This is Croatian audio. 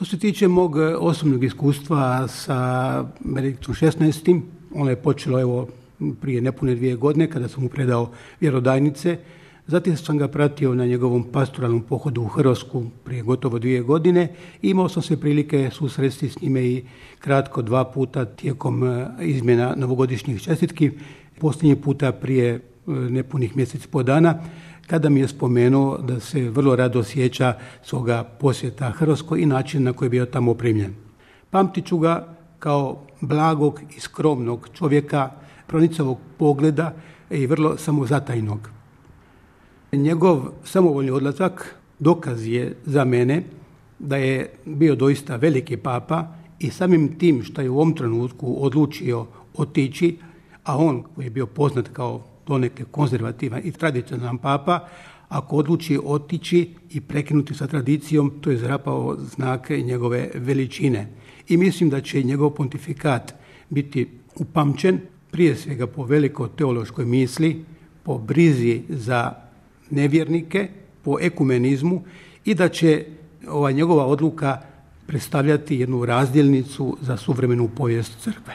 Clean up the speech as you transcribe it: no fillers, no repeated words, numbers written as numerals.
Što se tiče mog osobnog iskustva sa Benediktom XVI, ono je počelo prije nepune 2 godine kada sam mu predao vjerodajnice. Zatim sam ga pratio na njegovom pastoralnom pohodu u Hrvatsku prije gotovo 2 godine. Imao sam se prilike susresti s njime i kratko 2 puta tijekom izmjena novogodišnjih čestitki. Posljednji puta prije nepunih mjesec po dana, kada mi je spomenuo da se vrlo rado sjeća svoga posjeta Hrvatskoj i način na koji je bio tamo opremljen. Pamtit ću ga kao blagog i skromnog čovjeka, pronicavog pogleda i vrlo samozatajnog. Njegov samovoljni odlazak dokaz je za mene da je bio doista veliki papa i samim tim što je u ovom trenutku odlučio otići, a on koji je bio poznat kao donekle konzervativan i tradicionalan papa, ako odluči otići i prekinuti sa tradicijom, to je zapravo znak njegove veličine. I mislim da će njegov pontifikat biti upamćen prije svega po velikoj teološkoj misli, po brizi za nevjernike, po ekumenizmu i da će ova njegova odluka predstavljati jednu razdjelnicu za suvremenu povijest crkve.